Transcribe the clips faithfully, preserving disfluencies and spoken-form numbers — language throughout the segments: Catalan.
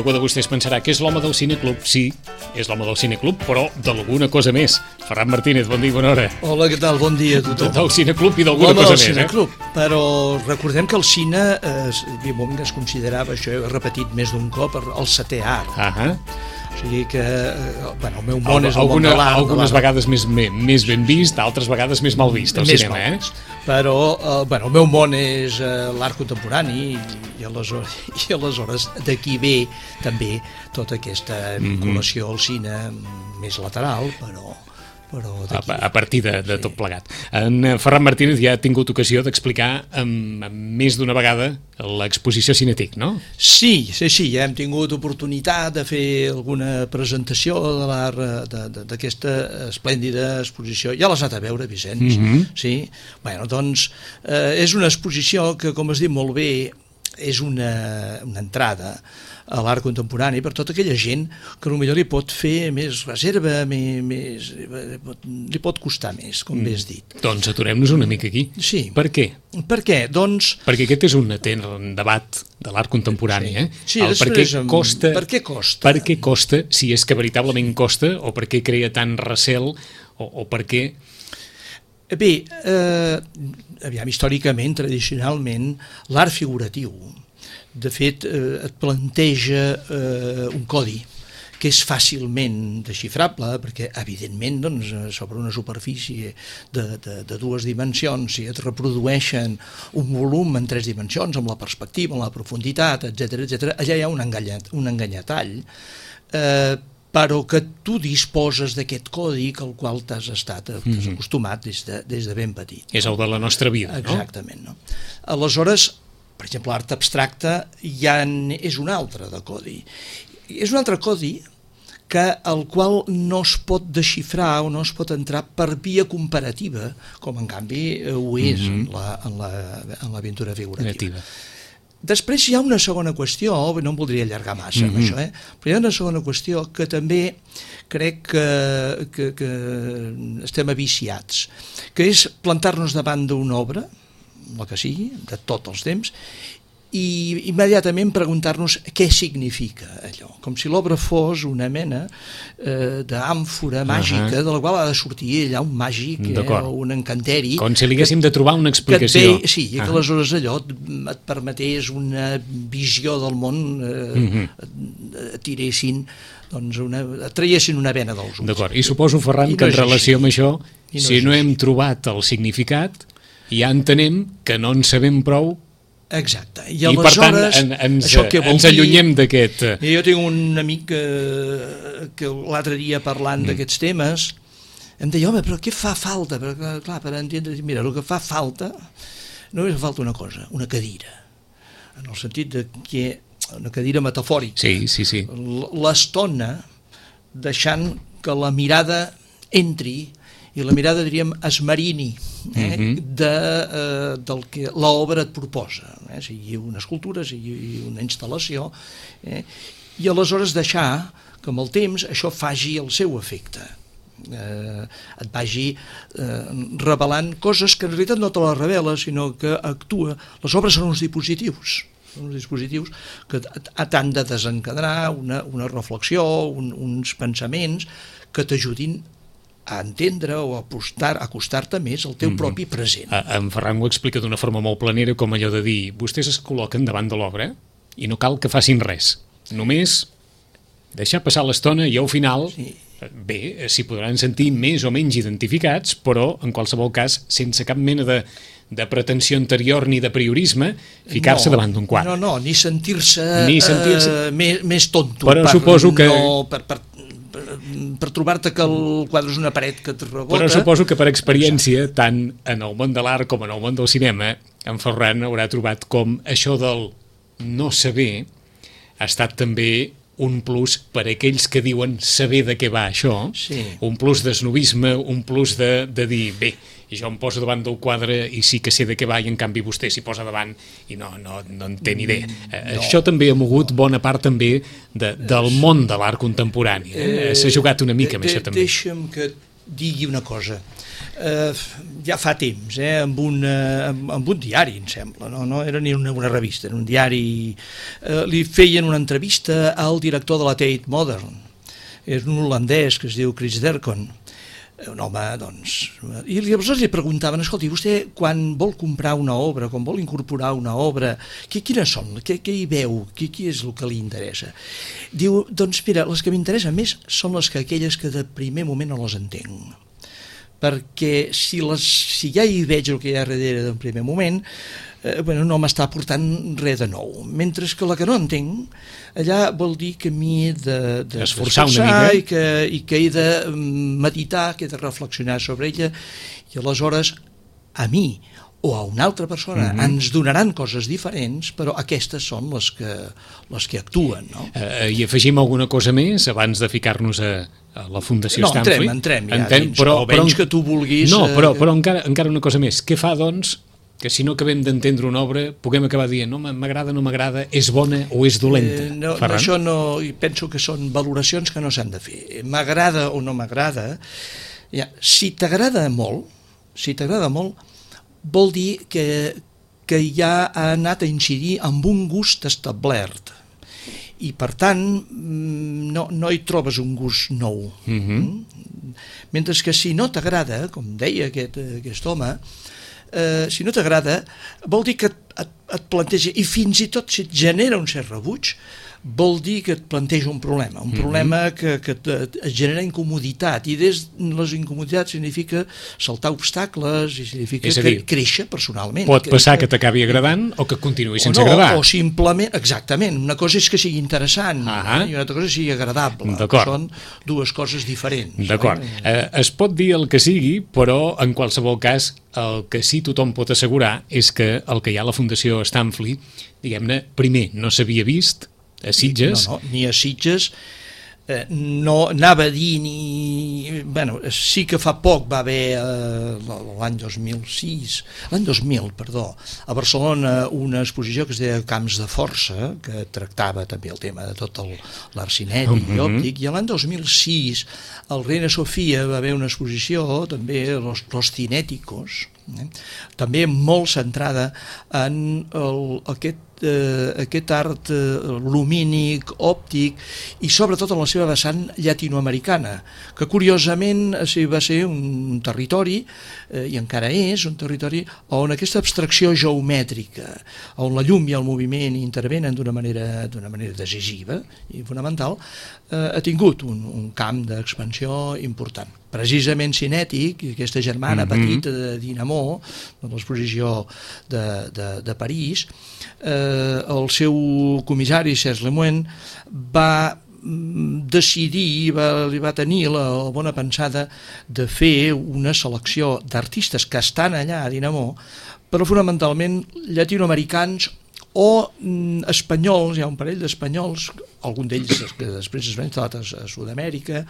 algú de vostès pensarà que és l'home del cineclub. Sí, és l'home del cineclub, però d'alguna cosa més. Ferran Martínez, bon dia i bona hora. Hola, què tal? Bon dia a tothom. Del cineclub i d'alguna cosa més, cineclub, eh? Però recordem que el cine eh, es considerava, això he repetit més d'un cop, el setè art. Ahà. O sigui que, bueno, el meu món és el Alguna, món de l'art. Algunes vegades més, més ben vist, altres vegades més mal vist, el més cinema, mal eh? vist. Però, eh, bueno, el meu món és eh, l'art contemporani i, i, aleshores, i aleshores d'aquí ve també tota aquesta vinculació mm -hmm. al cine més lateral, però... A, a partir de, de sí. tot plegat. En Ferran Martínez ja ha tingut ocasió d'explicar amb, amb més d'una vegada l'exposició Cinetic, no? Sí, sí, sí, ja hem tingut oportunitat de fer alguna presentació de l'art d'aquesta esplèndida exposició. Ja l'has anat a veure, Vicenç? Mm-hmm. Sí? Bueno, doncs, eh, és una exposició que, com has dit molt bé, és una, una entrada a l'art contemporani per tota aquella gent que potser li pot fer més reserva, més, més, li pot costar més, com mm. bé has dit. Doncs aturem-nos una mica aquí. Sí. Per què? Per què? Doncs... Perquè aquest és un, un debat de l'art contemporani, sí. eh? Sí, El per què costa, per què costa? Per què costa, si és que veritablement costa, o per què crea tant recel, o, o per què... Bé, eh, aviam, històricament, tradicionalment, l'art figuratiu, de fet, eh, et planteja eh, un codi que és fàcilment desxifrable, perquè, evidentment, doncs, sobre una superfície de, de, de dues dimensions, si et reprodueixen un volum en tres dimensions, amb la perspectiva, amb la profunditat, etcètera, etcètera, allà hi ha un, enganyat, un enganyatall, eh, però que tu disposes d'aquest còdic al qual t'has estat t'has acostumat des de, des de ben petit. És el de la nostra vida, Exactament, no? Aleshores, per exemple, l'art abstracte ja és un altre de codi. És un altre codi que el qual no es pot desxifrar o no es pot entrar per via comparativa, com en canvi ho és mm-hmm. en, la, en, la, en l'aventura figurativa. Creativa. Després hi ha una segona qüestió, no em voldria allargar massa mm-hmm. amb això, eh? però hi ha una segona qüestió que també crec que, que, que estem aviciats, que és plantar-nos davant d'una obra, la que sigui, de tots els temps, i immediatament preguntar-nos què significa allò, com si l'obra fos una mena eh, d'àmfora màgica uh-huh. de la qual ha de sortir allà un màgic eh, o un encanteri. Com si li haguéssim de trobar una explicació. Ve, sí, i que uh-huh. aleshores allò et permetés una visió del món, eh, uh-huh. tiressin, doncs una, traiessin una vena dels ulls. D'acord, i suposo, Ferran, I no que en relació amb això, no si no hem trobat el significat, ja entenem que no en sabem prou. Exacte. I, I per tant en, ens, ens allunyem d'aquest... Jo tinc un amic que, que l'altre dia parlant mm. d'aquests temes em deia, home, però què fa falta? Perquè, clar, per entendre, mira, el que fa falta no és falta una cosa, una cadira, en el sentit de que una cadira metafòrica. Sí, sí, sí. L'estona deixant que la mirada entri i la mirada, diríem, esmerini eh, mm-hmm. de, eh, del que l'obra et proposa, eh, sigui una escultura, sigui una instal·lació, eh, i aleshores deixar que amb el temps això faci el seu efecte, eh, et vagi eh, revelant coses que en realitat no te les revela, sinó que actua. Les obres són uns dispositius, són uns dispositius que t'han de desencadenar una, una reflexió, un, uns pensaments que t'ajudin a entendre o a acostar, a acostar-te més al teu mm-hmm. propi present. En Ferran ho explica d'una forma molt planera, com allò de dir, vostès es col·loquen davant de l'obra i no cal que facin res, només deixar passar l'estona i al final, sí. bé, s'hi podran sentir més o menys identificats, però en qualsevol cas, sense cap mena de, de pretensió anterior ni de priorisme, ficar-se no, davant d'un quadre. No, no, ni sentir-se, ni sentir-se... Uh, més, més tonto. Però per, suposo que... No, per, per, per trobar-te que el quadre és una paret que et rebota. Però suposo que per experiència, tant en el món de l'art com en el món del cinema, en Ferran haurà trobat com això del no saber ha estat també un plus per a aquells que diuen saber de què va això, sí. un plus d'esnovisme, un plus de, de dir, bé, i jo em poso davant del quadre i sí que sé de què va i en canvi vostè s'hi posa davant i no, no, no en té ni idea. No. Això també ha mogut bona part també de, del món de l'art contemporani. Eh? Eh, S'ha jugat una mica de, amb això també. Deixa'm que digui una cosa. eh, ja fa temps, eh, amb, una, amb, amb un diari, em sembla, no, no era ni una, una revista, era un diari, eh, li feien una entrevista al director de la Tate Modern, és un holandès que es diu Chris Dercon, un home, doncs... I llavors li preguntaven, escolti, vostè quan vol comprar una obra, quan vol incorporar una obra, què, quines són? Què, què hi veu? Què, què és el que li interessa? Diu, doncs mira, les que m'interessen més són les que aquelles que de primer moment no les entenc. Perquè si, les, si ja hi veig el que hi ha darrere d'un primer moment, eh, bueno, no m'està aportant res de nou. Mentre que la que no entenc, allà vol dir que m'hi he de, de esforçar una mica i que, i que he de meditar, que he de reflexionar sobre ella, i aleshores a mi o a una altra persona mm-hmm. ens donaran coses diferents, però aquestes són les que, les que actuen, no? Uh, I afegim alguna cosa més abans de ficar-nos a, a la Fundació no, Stanford? No, entrem, entrem ja entrem, dins, però, o menys però, que tu vulguis... No, però, però encara, encara una cosa més. Què fa, doncs, que si no acabem d'entendre una obra puguem acabar dient no, m'agrada, no m'agrada, és bona o és dolenta? Eh, no, no, això no, penso que són valoracions que no s'han de fer. M'agrada o no m'agrada, ja, si t'agrada molt, si t'agrada molt, vol dir que, que ja ha anat a incidir amb un gust establert i per tant no, no hi trobes un gust nou. Mm-hmm. Mentre que si no t'agrada, com deia aquest, aquest home, eh, si no t'agrada vol dir que et, et, et planteja, i fins i tot si et genera un cert rebuig, vol dir que et planteja un problema, un mm-hmm. problema que, que et, et genera incomoditat, i des les incomoditats significa saltar obstacles i significa és a dir, que créixer personalment. Pot passar que, que t'acabi agradant o que continuï sense o no, agradar. O simplement, exactament, una cosa és que sigui interessant ah i una altra cosa és que sigui agradable. Són dues coses diferents. D'acord. Eh, es pot dir el que sigui, però en qualsevol cas el que sí tothom pot assegurar és que el que hi ha a la Fundació Stanford, diguem-ne, primer no s'havia vist a Sitges. No, no, ni a Sitges, eh, no anava a dir ni... Bueno, sí que fa poc va haver, eh, l'any dos mil sis, l'any dos mil, perdó, a Barcelona una exposició que es deia Camps de Força, que tractava també el tema de tot l'art cinètic uh-huh. i òptic, i l'any dos mil sis al Reina Sofia va haver una exposició, també Los, los Cinéticos, eh? també molt centrada en el, aquest Eh, aquest art eh, lumínic, òptic i sobretot en la seva vessant llatinoamericana, que curiosament eh, va ser un territori eh, i encara és un territori on aquesta abstracció geomètrica, on la llum i el moviment intervenen d'una manera, d'una manera decisiva i fonamental, eh, ha tingut un, un camp d'expansió important. Precisament cinètic, aquesta germana mm-hmm. petita de Dinamo, de l'exposició de, de, de París, eh, el seu comissari, Serge Lemoine, va decidir, va, li va tenir la, la bona pensada de fer una selecció d'artistes que estan allà a Dinamo, però fonamentalment llatinoamericans o mm, espanyols, hi ha un parell d'espanyols, algun d'ells que després es van instal·lar a Sud-amèrica,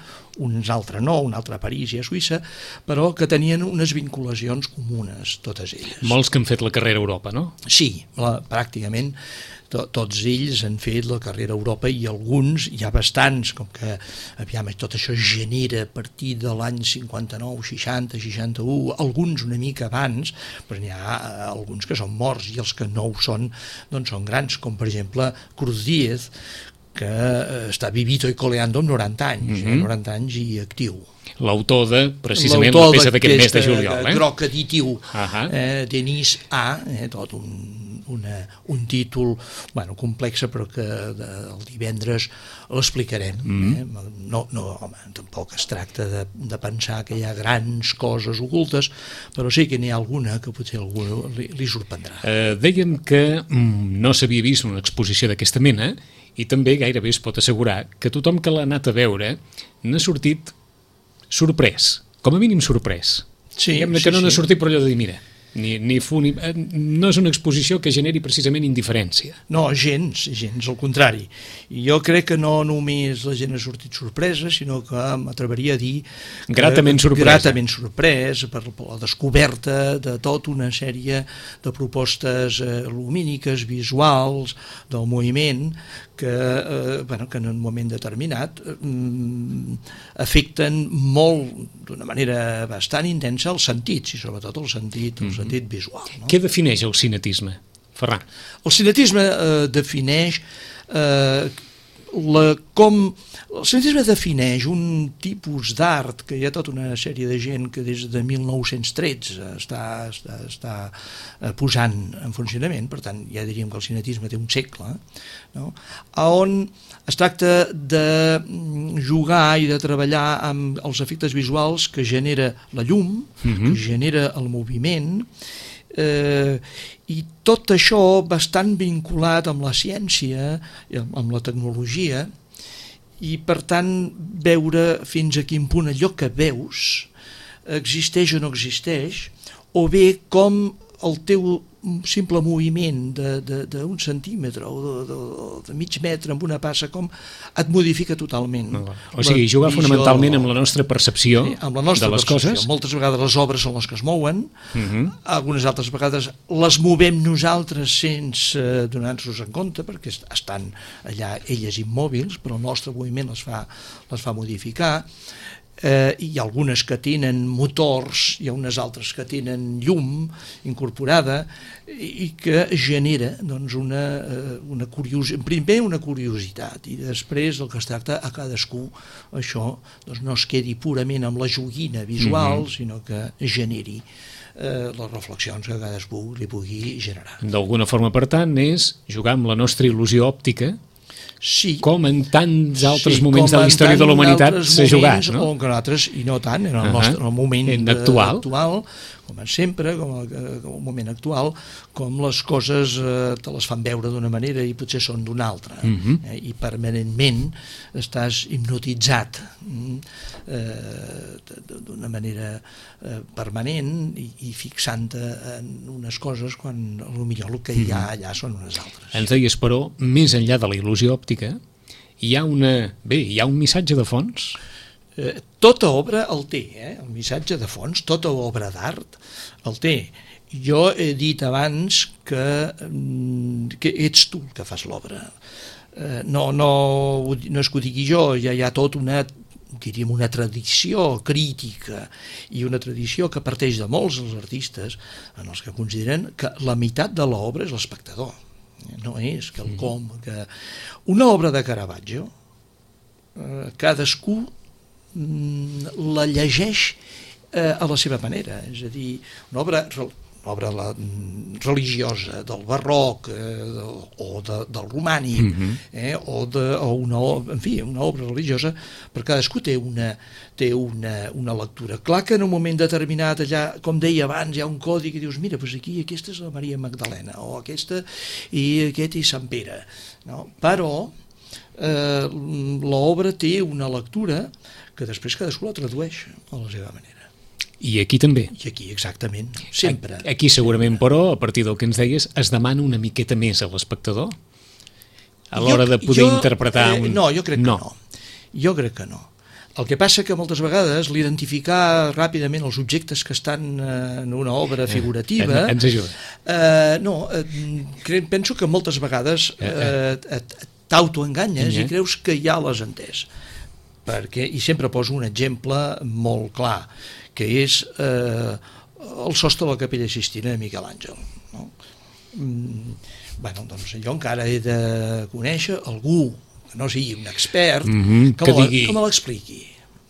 uns altre no, un altre a París i a Suïssa, però que tenien unes vinculacions comunes, totes elles. Molts que han fet la carrera a Europa, no? Sí, la, pràcticament to, tots ells han fet la carrera a Europa i alguns, hi ha bastants, com que aviam, tot això genera a partir de l'any cinquanta-nou, seixanta, seixanta-u, alguns una mica abans, però n'hi ha alguns que són morts i els que no ho són, doncs són grans, com per exemple Cruz Díez, que està vivito i coleando amb noranta anys, mm-hmm. eh, noranta anys i actiu. L'autor de, precisament, la peça d'aquest mes de juliol. Eh? Groc additiu, uh-huh. eh, Denis A, eh, tot un, una, un títol bueno, complex, però que de, el divendres l'explicarem. Mm-hmm. eh? No, no, home, tampoc es tracta de, de pensar que hi ha grans coses ocultes, però sí que n'hi ha alguna que potser algú li, li sorprendrà. Uh, dèiem que mm, no s'havia vist una exposició d'aquesta mena, i també gairebé es pot assegurar que tothom que l'ha anat a veure n'ha sortit sorprès, com a mínim sorprès. Sí, Diguem-ne sí, que no n'ha sí. sortit per allò de dir, mira, ni, ni fu, ni, no és una exposició que generi precisament indiferència. No, gens, gens, al contrari. I jo crec que no només la gent ha sortit sorpresa, sinó que m'atreveria a dir que, gratament sorpresa. Gratament sorpresa per la descoberta de tota una sèrie de propostes eh, lumíniques, visuals, del moviment, que, eh, bueno, que en un moment determinat eh, afecten molt, d'una manera bastant intensa, els sentits, i sobretot el sentit, el sentit visual. No? Què defineix el cinetisme, Ferran? El cinetisme eh, defineix eh, la, com... El cinetisme defineix un tipus d'art que hi ha tota una sèrie de gent que des de mil nou-cents tretze està, està, està posant en funcionament, per tant ja diríem que el cinetisme té un segle, no? On es tracta de jugar i de treballar amb els efectes visuals que genera la llum, mm-hmm. que genera el moviment, eh, i tot això bastant vinculat amb la ciència, amb la tecnologia, i per tant veure fins a quin punt allò que veus existeix o no existeix, o bé com el teu simple moviment d'un centímetre o de, de, de mig metre amb una passa com et modifica totalment. No, o sigui, jugar visió, fonamentalment amb la nostra percepció sí, amb la nostra de les percepció. Coses. Moltes vegades les obres són les que es mouen, uh-huh. algunes altres vegades les movem nosaltres sense donar-nos en compte, perquè estan allà elles immòbils, però el nostre moviment les fa, les fa modificar. Eh, hi ha algunes que tenen motors, hi ha unes altres que tenen llum incorporada i que genera doncs, una, una curiositat, primer una curiositat i després el que es tracta a cadascú això doncs, no es quedi purament amb la joguina visual, mm-hmm. sinó que generi eh, les reflexions que cadascú li pugui generar. D'alguna forma, per tant, és jugar amb la nostra il·lusió òptica. Sí. Com en tants altres sí, moments de la història de la humanitat s'ha jugat, no? O en altres, i no tant, en el, uh-huh. nostre, en el moment actual. actual, com sempre, com el, com el moment actual, com les coses eh, te les fan veure d'una manera i potser són d'una altra, uh-huh. eh, i permanentment estàs hipnotitzat eh, d'una manera eh, permanent i, i fixant-te en unes coses quan potser el que hi ha allà són unes altres. Ens deies, però, més enllà de la il·lusió òptica, hi ha una... Bé, hi ha un missatge de fons? Eh, tota obra el té, eh? El missatge de fons, tota obra d'art el té. Jo he dit abans que, que ets tu el que fas l'obra. Eh, no, no, no és que ho digui jo, ja hi ha tot una, diríem, una tradició crítica i una tradició que parteix de molts els artistes en els que consideren que la meitat de l'obra és l'espectador. No és quelcom que... Una obra de Caravaggio, eh, cadascú la llegeix eh, a la seva manera, és a dir, una obra, una obra la, religiosa del barroc eh, o de, del romànic, mm-hmm. eh, o, de, o una, en fi, una obra religiosa, però cadascú té una, té una, una lectura. Clar que en un moment determinat, allà, com deia abans, hi ha un codi que dius, mira, doncs aquí aquesta és la Maria Magdalena, o aquesta i aquest és Sant Pere, no? Però eh, l'obra té una lectura que després cadascú la tradueix a la seva manera. I aquí també. I aquí, exactament, sempre. Aquí segurament, però, a partir del que ens deies, es demana una miqueta més a l'espectador a l'hora de poder jo, interpretar... Un... Eh, no, jo crec no. que no. Jo crec que no. El que passa que moltes vegades l'identificar ràpidament els objectes que estan en una obra figurativa... Eh, ens ajuda. Eh, no, eh, penso que moltes vegades eh, t'autoenganyes i creus que ja l'has entès. Perquè, i sempre poso un exemple molt clar, que és eh, el sostre de la Capella Sistina de Miquel Àngel. No? Mm, bueno, doncs jo encara he de conèixer algú que no sigui un expert, mm-hmm, que, que, digui... que me l'expliqui.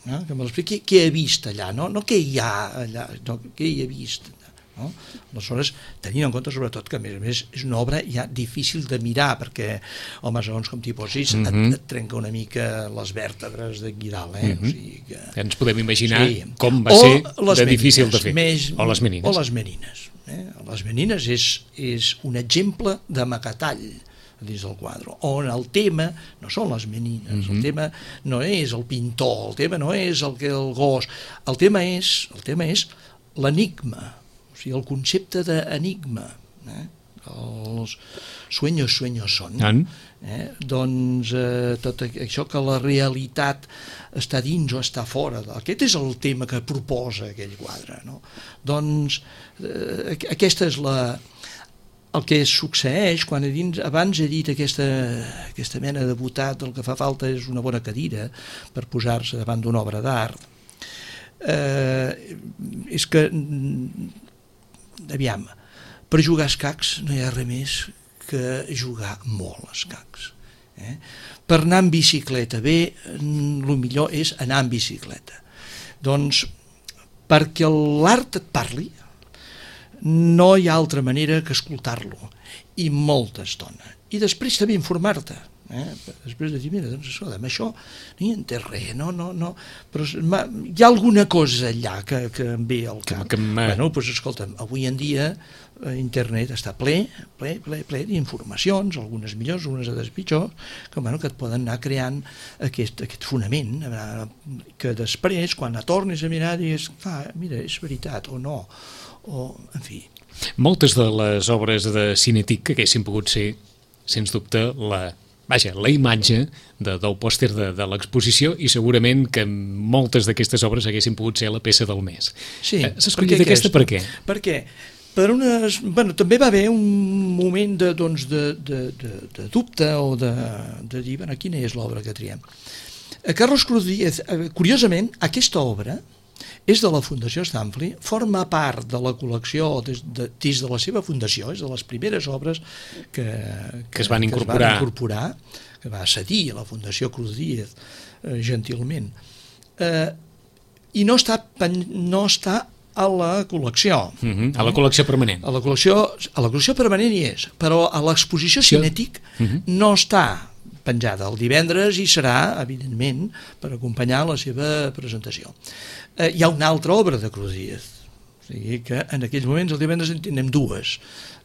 No? Que me l'expliqui què he vist allà, no, no què hi ha allà, no, què hi he vist. No? Aleshores, tenint en compte sobretot que a més a més és una obra ja difícil de mirar perquè, home, segons com t'hi posis mm-hmm. et, et trenca una mica les vèrtebres d'aquí dalt, eh? Mm-hmm. O sigui que... Ens podem imaginar sí. com va o ser de menines, difícil de fer. Més, o les menines. O les menines. Eh? Les menines és, és un exemple de macatall dins del quadre, on el tema no són les menines, mm-hmm. el tema no és el pintor, el tema no és el, que el gos, el tema és, el tema és l'enigma. O sigui, el concepte d'enigma, eh? Els sueños, sueños són, eh? Doncs eh, tot això que la realitat està dins o està fora, aquest és el tema que proposa aquell quadre, no? Doncs eh, aquesta és la... el que succeeix, quan he dins, abans he dit aquesta, aquesta mena de botat, el que fa falta és una bona cadira per posar-se davant d'una obra d'art, eh, és que, aviam, per jugar a escacs no hi ha res més que jugar molt a escacs. Eh? Per anar en bicicleta bé, el millor és anar en bicicleta. Doncs, perquè l'art et parli, no hi ha altra manera que escoltar-lo, i molta estona. I després també informar-te. Eh? Després de dir, mira, doncs això, amb això no hi entès res, no, no, no, però hi ha alguna cosa allà que, que em ve al cap. Que, que bueno, doncs escolta'm, avui en dia internet està ple, ple, ple, ple d'informacions, algunes millors, algunes altres pitjors, que, bueno, que et poden anar creant aquest, aquest fonament, que després, quan la tornis a mirar, digues, ah, mira, és veritat, o no, o, en fi. Moltes de les obres de Cinetic que haguessin pogut ser, sens dubte, la... Vaja, la imatge de, del pòster de, de l'exposició, i segurament que moltes d'aquestes obres haguessin pogut ser la peça del mes. Sí. Eh, S'ha escollit aquesta per què? Per què? Per unes, bueno, també va haver un moment de, doncs, de, de, de, de dubte o de, de dir, bueno, quina és l'obra que triem. Carlos Cruz Díez, curiosament, aquesta obra és de la Fundació Stanley, forma part de la col·lecció des de, des de la seva fundació, és de les primeres obres que, que, que es van incorporar, que, es van incorporar, que va cedir a la Fundació Cruz Díez, eh, gentilment. Eh, I no està, no està a la col·lecció. Uh-huh. A la col·lecció permanent. A la col·lecció, a la col·lecció permanent hi és, però a l'exposició Cinetic uh-huh. no està penjada. El divendres hi serà, evidentment, per acompanyar la seva presentació. Eh, hi ha una altra obra de Cruz Díez, o sigui que en aquells moments el divendres en tindrem dues.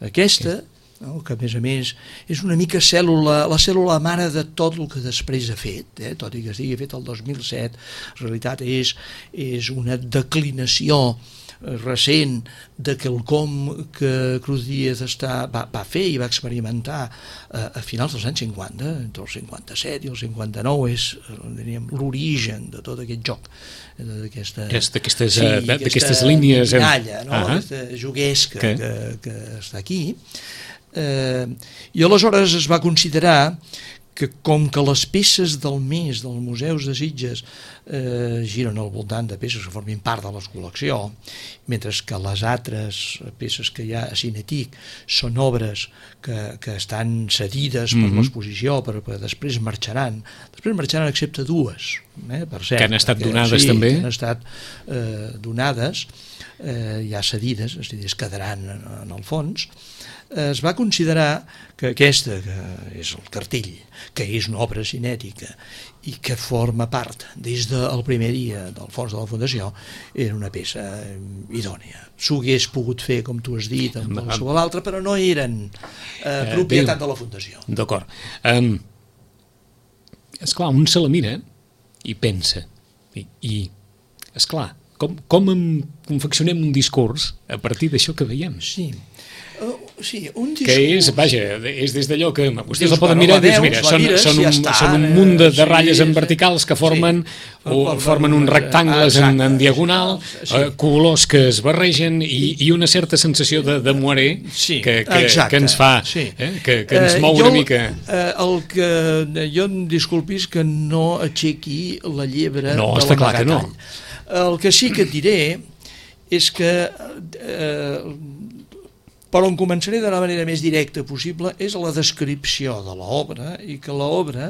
Aquesta, no, que a més a més és una mica cèl·lula, la cèl·lula mare de tot el que després ha fet, eh, tot i que estigui fet el dos mil set, en realitat és, és una declinació recent de quelcom que Cruz Díez està, va, va fer i va experimentar a, a finals dels anys cinquanta, entre el cinquanta-set i el cinquanta-nou, és diríem, l'origen de tot aquest joc, d'aquesta, d'aquestes sí, d'aquestes línies, minalla, no? Uh-huh. Aquesta juguesca que, que, que està aquí. Eh, I aleshores es va considerar que com que les peces del mes dels museus de Sitges eh, giren al voltant de peces que formin part de la col·lecció, mentre que les altres peces que hi ha a Cinetic són obres que, que estan cedides per mm-hmm. l'exposició, però que després marxaran, després marxaran excepte dues, eh, per cert. Que han estat perquè, donades sí, també? Que han estat eh, donades, eh, ja cedides, és a dir, es quedaran en, en el fons. Es va considerar que aquesta, que és el cartell, que és una obra cinètica i que forma part des del primer dia del fons de la Fundació, era una peça idònia. S'ho hagués pogut fer, com tu has dit, amb qualsevol altra, però no eren eh, propietat de la Fundació. D'acord. Um, esclar, un se la mira i pensa, i, i esclar, com, com em confeccionem un discurs a partir d'això que veiem? Sí. Uh, sí, un discurs... Que és, vaja, és des d'allò que vostès dius, el poden bueno, mirar i dius, veus, mira, són, mires, són, un, ja està, són un munt de, de sí, ratlles en sí, verticals que formen, sí, o, formen uns rectangles exacte, en, en diagonal, sí. eh, colors que es barregen i, i una certa sensació de, de moiré sí, que, que, que ens fa, sí. eh, que, que ens mou eh, una jo, mica... Eh, el que jo em disculpis que no aixequi la llebre no, de està clar que no. El que sí que et diré és que... Eh, però on començaré de la manera més directa possible és la descripció de l'obra, i que l'obra,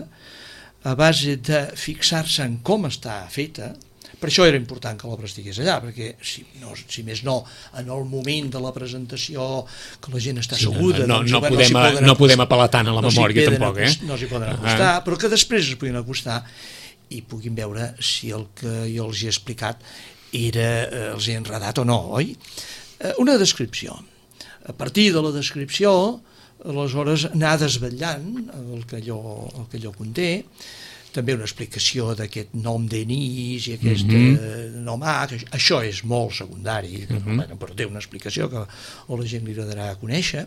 a base de fixar-se en com està feta, per això era important que l'obra estigués allà, perquè si, no, si més no, en el moment de la presentació, que la gent està sí, asseguda... no, no, doncs, no, bueno, podem, no, no acostar, podem apel·lar tant a la no memòria tampoc, eh? No s'hi poden acostar, ah. però que després es puguin acostar i puguin veure si el que jo els he explicat era, eh, els he enredat o no, oi? Eh, una descripció. A partir de la descripció, aleshores anar desvetllant el que allò, el que allò conté, també una explicació d'aquest nom d'Enís i aquest mm-hmm. nom A, que això és molt secundari, que, mm-hmm. bueno, però té una explicació que o la gent li agradarà conèixer,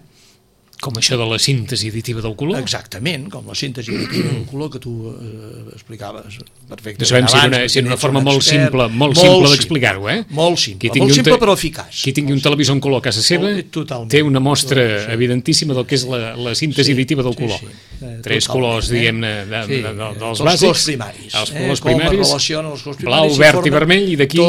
Com això de la síntesi additiva del color? Exactament, com la síntesi additiva del color que tu eh, explicaves perfectament. No sabem si era una, si era una forma molt simple, molt simple d'explicar-ho, eh? Molt simple, molt simple però eficaç. Qui tingui un televisor en color a casa seva té una mostra sí. evidentíssima del que és la, la síntesi sí, additiva del color. Sí, sí. Eh, Tres colors, eh? diguem-ne, de, sí, de, de, dels els bàsics. colors primaris. Els colors eh? primaris, els colors blau, primaris verd i vermell, i d'aquí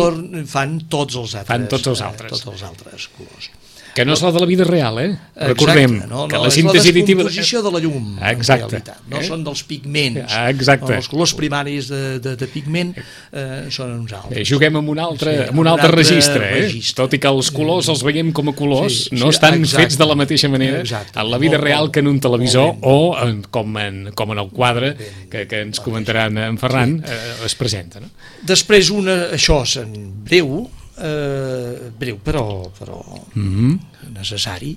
fan tots els altres, fan tots els altres. Eh, tots els altres colors. Que no és la de la vida real, eh? Exacte, Recordem no, no, que la és síntesi la additiva... descomposició de la llum, Exacte. en realitat. No eh? són dels pigments. Exacte. No, els colors primaris de, de, de pigment eh, són uns altres. Eh, juguem amb un altre, sí, amb un altre, altre registre, eh? registre. Tot i que els colors els veiem com a colors, sí, no sí, estan exacte. fets de la mateixa manera exacte. en la vida molt, real que en un televisor o en, com, en, com en el quadre que, que ens comentarà en Ferran sí. eh, es presenta. No? Després, una, això és en breu, eh, breu però, però mm-hmm. necessari.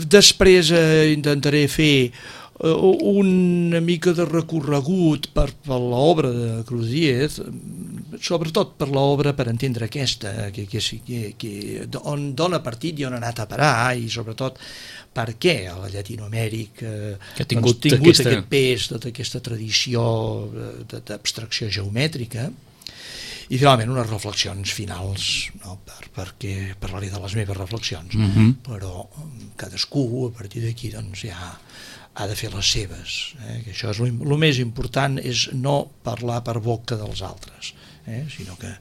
Després eh, intentaré fer eh, una mica de recorregut per, per l'obra de Cruz Diez, sobretot per l'obra per entendre aquesta, que, que, que, que, on dona partit i on ha anat a parar, i sobretot per què a la Llatinoamèrica que ha tingut, doncs, tingut aquesta... aquest pes, tota aquesta tradició d'abstracció geomètrica. I finalment unes reflexions finals, no? per, perquè parlaré de les meves reflexions, mm-hmm. però cadascú a partir d'aquí doncs, ja ha de fer les seves, eh? Que això és el més important, és no parlar per boca dels altres, eh? Sinó que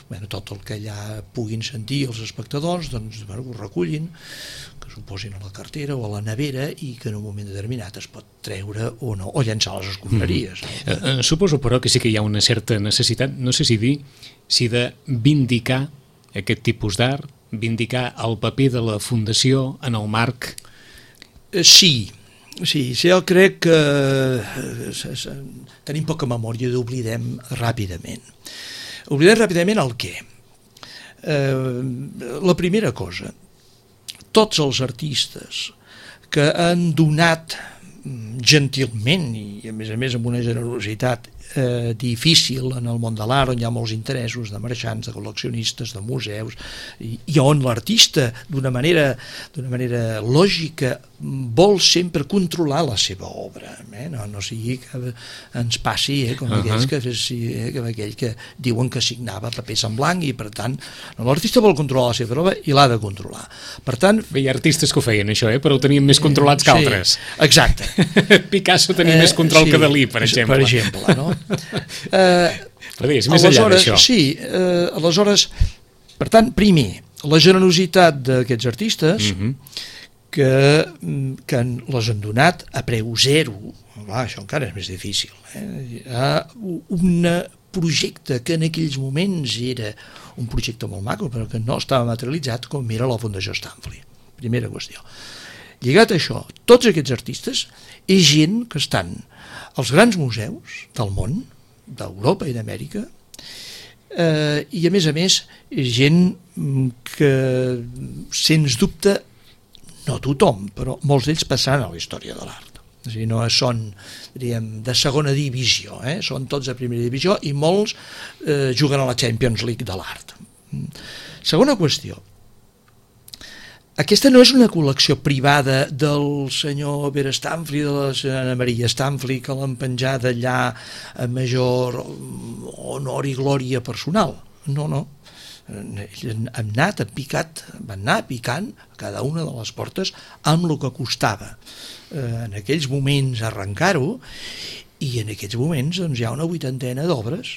bueno, tot el que allà puguin sentir els espectadors doncs, bueno, ho recullin, que s'ho posin a la cartera o a la nevera i que en un moment determinat es pot treure o no, o llançar a les escombraries. Mm. Eh, eh, suposo, però, que sí que hi ha una certa necessitat, no sé si dir, si de vindicar aquest tipus d'art, vindicar el paper de la Fundació en el marc... Eh, sí, sí, sí, jo crec que eh, tenim poca memòria i oblidem ràpidament. Oblidem ràpidament el què? Eh, la primera cosa, tots els artistes que han donat gentilment i a més a més amb una generositat eh, difícil en el món de l'art, on hi ha molts interessos de marxants, de col·leccionistes, de museus, i, i on l'artista d'una manera, d'una manera lògica vol sempre controlar la seva obra, eh? no, no sigui que ens passi eh, com uh-huh. aquells que, eh, com aquell que diuen que signava papers en blanc i per tant no, l'artista vol controlar la seva obra i l'ha de controlar. Per tant, bé, hi ha artistes que ho feien això, eh? Però ho tenien més controlats que altres. Sí, exacte. Picasso tenia eh, més control sí, que Dalí, per exemple. Per exemple, no? Eh, Però és més enllà d'això. Sí, eh, aleshores, per tant, primer, la generositat d'aquests artistes mm-hmm. que, que les han donat a preu zero, va, això encara és més difícil, eh? A un projecte que en aquells moments era un projecte molt maco, però que no estava materialitzat com era la Fundació Stanfli. Primera qüestió. Lligat a això, tots aquests artistes és gent que estan als grans museus del món, d'Europa i d'Amèrica, eh, i a més a més és gent que, sens dubte, no tothom, però molts d'ells passaran a la història de l'art. És a dir, no són, diríem, de segona divisió, eh? Són tots de primera divisió i molts eh, juguen a la Champions League de l'art. Segona qüestió. Aquesta no és una col·lecció privada del senyor Vera Stanfli, de la senyora Maria Stanfli, que l'han penjat allà a major honor i glòria personal. No, no. Han anat, han picat, van anar picant a cada una de les portes amb el que costava eh, en aquells moments arrencar-ho, i en aquests moments doncs, hi ha una vuitantena d'obres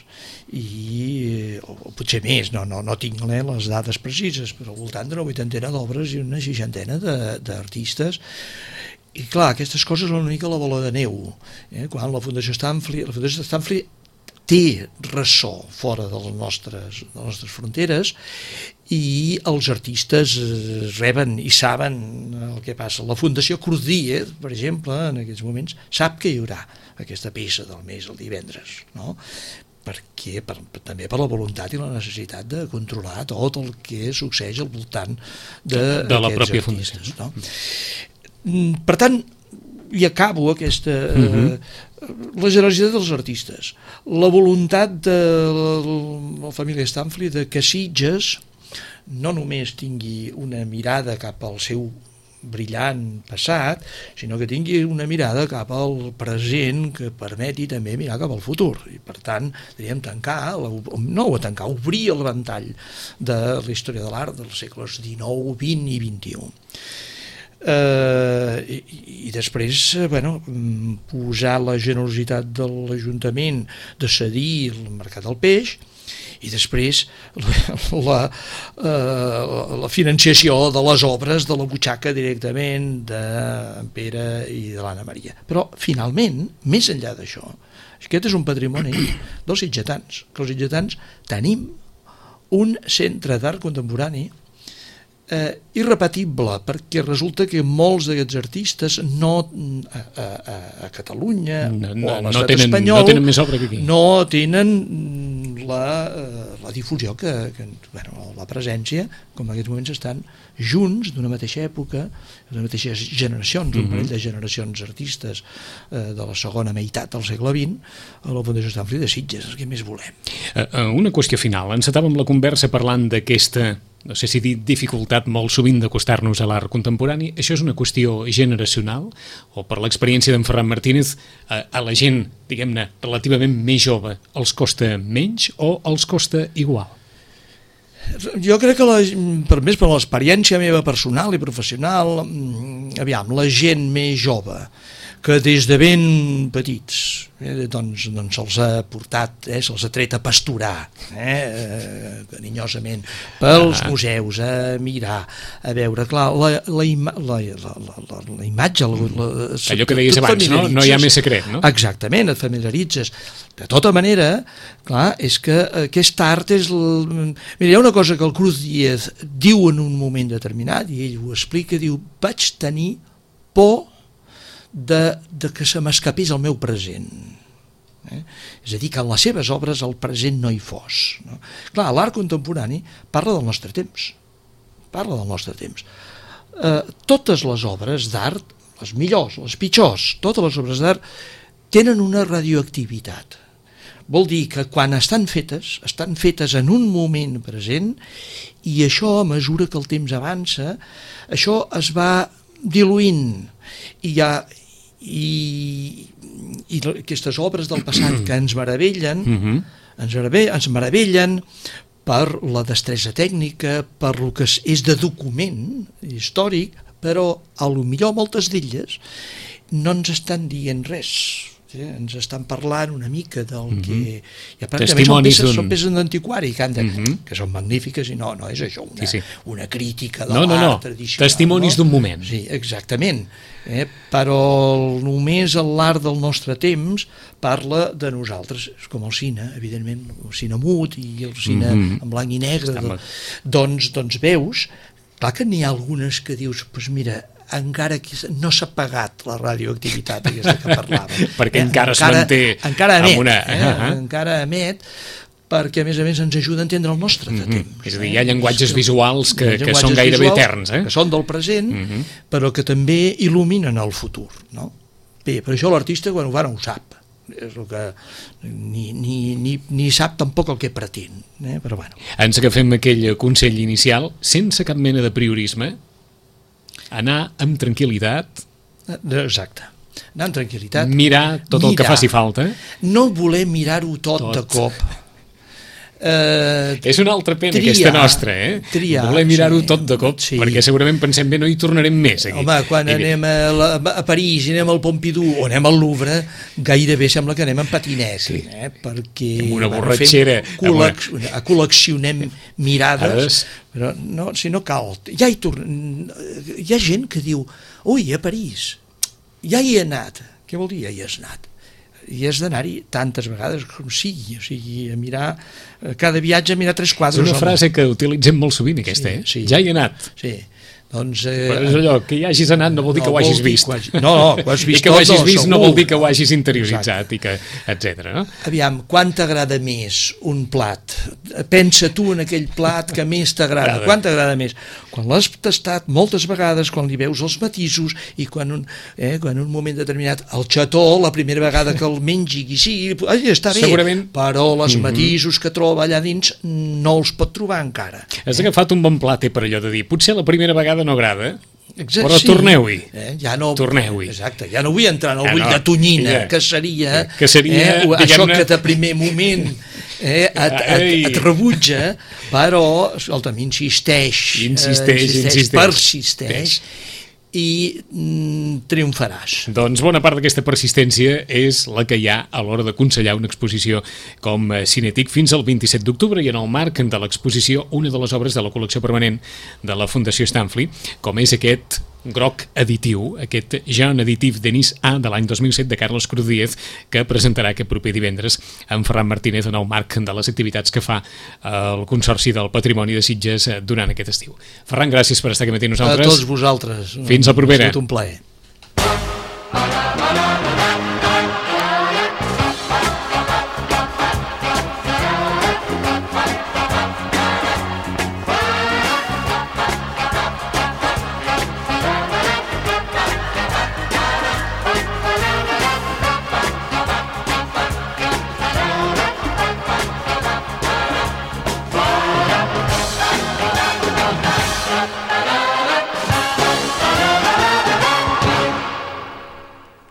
i, o, o potser més, no, no, no tinc eh, les dades precises, però al voltant d'una vuitantena d'obres i una seixantena d'artistes. I clar, aquestes coses són una mica la bola de neu, eh? Quan la Fundació Stanfli, la Fundació Stanfli té ressò fora de les nostres, de les nostres fronteres, i els artistes reben i saben el que passa. La Fundació Cruz Diez, per exemple, en aquests moments, sap que hi haurà aquesta peça del mes el divendres, no? Perquè, per, també per la voluntat i la necessitat de controlar tot el que succeeix al voltant de, de la pròpia artistes, no? Per tant, i acabo aquesta... Uh-huh. eh, la generositat dels artistes, la voluntat de la família Stanfli de que Sitges no només tingui una mirada cap al seu brillant passat, sinó que tingui una mirada cap al present que permeti també mirar cap al futur. I per tant, diríem, tancar, no tancar, obrir el ventall de la història de l'art dels segles dinou, vint i vint-i-u. Uh, i, i després bueno, posar la generositat de l'Ajuntament de cedir el mercat del peix i després la, uh, la financiació de les obres de la butxaca directament d'en Pere i de l'Anna Maria. Però finalment, més enllà d'això, aquest és un patrimoni dels sitgetans, que els sitgetans tenim un centre d'art contemporani Eh, irrepetible, perquè resulta que molts d'aquests artistes no a, a, a Catalunya no, no, o a no l'estat tenen, espanyol no tenen més obra que aquí. No tenen la, la difusió que, que bueno, la presència, com en aquests moments estan junts d'una mateixa època, d'una mateixa generacions, un parell de generacions artistes eh, de la segona meitat del segle vint a la Fundació Estanfri de Sitges. Què més volem? Una qüestió final. Encetàvem la conversa parlant d'aquesta, no sé si dir dificultat molt sovint d'acostar-nos a l'art contemporani. Això és una qüestió generacional o per l'experiència d'en Ferran Martínez a, a la gent, diguem-ne, relativament més jove els costa menys o els costa igual? Jo crec que, la, per més per l'experiència meva personal i professional, aviam, la gent més jove que des de ben petits eh, doncs, doncs se'ls ha portat, eh, se'ls ha tret a pasturar eh, carinyosament pels ah. museus, a mirar, a veure, clar, la, la, ima, la, la, la, la imatge la, la, allò que deies abans, no? No hi ha més secret, no? Exactament, et familiaritzes. De tota manera, clar, és que aquest art és... El... Mira, hi ha una cosa que el Cruz Díez diu en un moment determinat, i ell ho explica, diu, vaig tenir por De, de que se m'escapés el meu present. Eh? És a dir, que en les seves obres el present no hi fos. No? Clar, l'art contemporani parla del nostre temps. Parla del nostre temps. Eh, totes les obres d'art, les millors, les pitjors, totes les obres d'art tenen una radioactivitat. Vol dir que quan estan fetes, estan fetes en un moment present i això, a mesura que el temps avança, això es va diluint i hi ha I, i aquestes obres del passat que ens meravellen, uh-huh. ens, meravellen ens meravellen per la destresa tècnica, per el que és de document històric, però a lo millor moltes d'elles no ens estan dient res. Sí, ens estan parlant una mica del uh-huh. que... Ja, són peces, són peces d'antiquari que, de, uh-huh. que són magnífiques i no, no és això una, sí, sí. una crítica de no, l'art no, no. tradicional. Testimonis no? d'un moment. Sí, exactament. Eh? Però només l'art del nostre temps parla de nosaltres. És com el cine, evidentment, el cine mut i el cine uh-huh. en blanc i negre. De, doncs, doncs veus, clar que n'hi ha algunes que dius, doncs pues mira, encara que no s'ha pagat la radioactivitat aquesta que parlàvem. Perquè eh? encara, encara es manté encara emet, una... eh? uh-huh. encara emet, perquè a més a més ens ajuda a entendre el nostre de temps. Mm-hmm. És a dir, hi ha llenguatges visuals que, que són gairebé visuals, eterns. Eh? Que són del present, mm-hmm. però que també il·luminen el futur. No? Bé, per això l'artista quan ho fa no ho sap. És el que ni, ni, ni, ni sap tampoc el que pretén. Eh? Però bueno. Ens agafem aquell consell inicial, sense cap mena de priorisme, anar amb tranquil·litat. Exacte. Anar amb tranquil·litat. Mirar tot mirar. El que faci falta. No voler mirar-ho tot, tot de cop. Uh, és una altra pena triar, aquesta nostra, eh? Triar, voler mirar-ho sí, tot de cop, sí. Perquè segurament pensem bé, no hi tornarem més aquí. Home, quan I anem a, la, a París i anem al Pompidou o anem al Louvre, gairebé sembla que anem en patinet, sí. eh? Perquè amb una borratxera col·lec una... col·leccionem mirades, però no, si no cal. Ja hi, torn... hi ha gent que diu, ui, a París, ja hi he anat. Què vol dir ja hi has anat? I has d'anar-hi tantes vegades com sigui, o sigui, a mirar, cada viatge a mirar tres quadres. És una frase que utilitzem molt sovint, aquesta, sí, eh? Sí. Ja hi he anat. Sí. Doncs, eh, però és allò, que hi hagis anat no vol dir no, que ho hagis vist. Que hagi... No, no, que ho has vist I que ho hagis tot, vist no, no vol dir que ho hagis interioritzat, i que, etcètera. No? Aviam, quan t'agrada més un plat? Pensa tu en aquell plat que més t'agrada. Quan t'agrada més? Quan l'has tastat moltes vegades, quan li veus els matisos i quan un, eh, quan un moment determinat el xató, la primera vegada que el mengi i sí, ai, està bé, segurament... però les mm-hmm. matisos que troba allà dins no els pot trobar encara. Has agafat un bon plat per allò de dir, potser la primera vegada no agrada, Exacte, però sí. torneu-hi. Eh? Ja no, torneu-hi. Exacte, ja no vull entrar en el Ja bull no, de tonyina, ja. que seria, Que seria, eh, això diguem-ne- que de primer moment eh, et, et, Ei. et rebutja, però, escolta'm, insisteix, Insisteix, eh, insisteix. persisteix, i mm, triomfaràs. Doncs bona part d'aquesta persistència és la que hi ha a l'hora d'aconsellar una exposició com eh, Cinetic fins al vint-i-set d'octubre, i en el marc de l'exposició una de les obres de la col·lecció permanent de la Fundació Stanley, com és aquest groc editiu, aquest Jean Editif Denis A de l'any dos mil set de Carlos Cruz Díez, que presentarà aquest proper divendres en Ferran Martínez en el marc de les activitats que fa el Consorci del Patrimoni de Sitges durant aquest estiu. Ferran, gràcies per estar aquí matí amb A nosaltres. tots vosaltres. Fins la propera. Ha estat un plaer.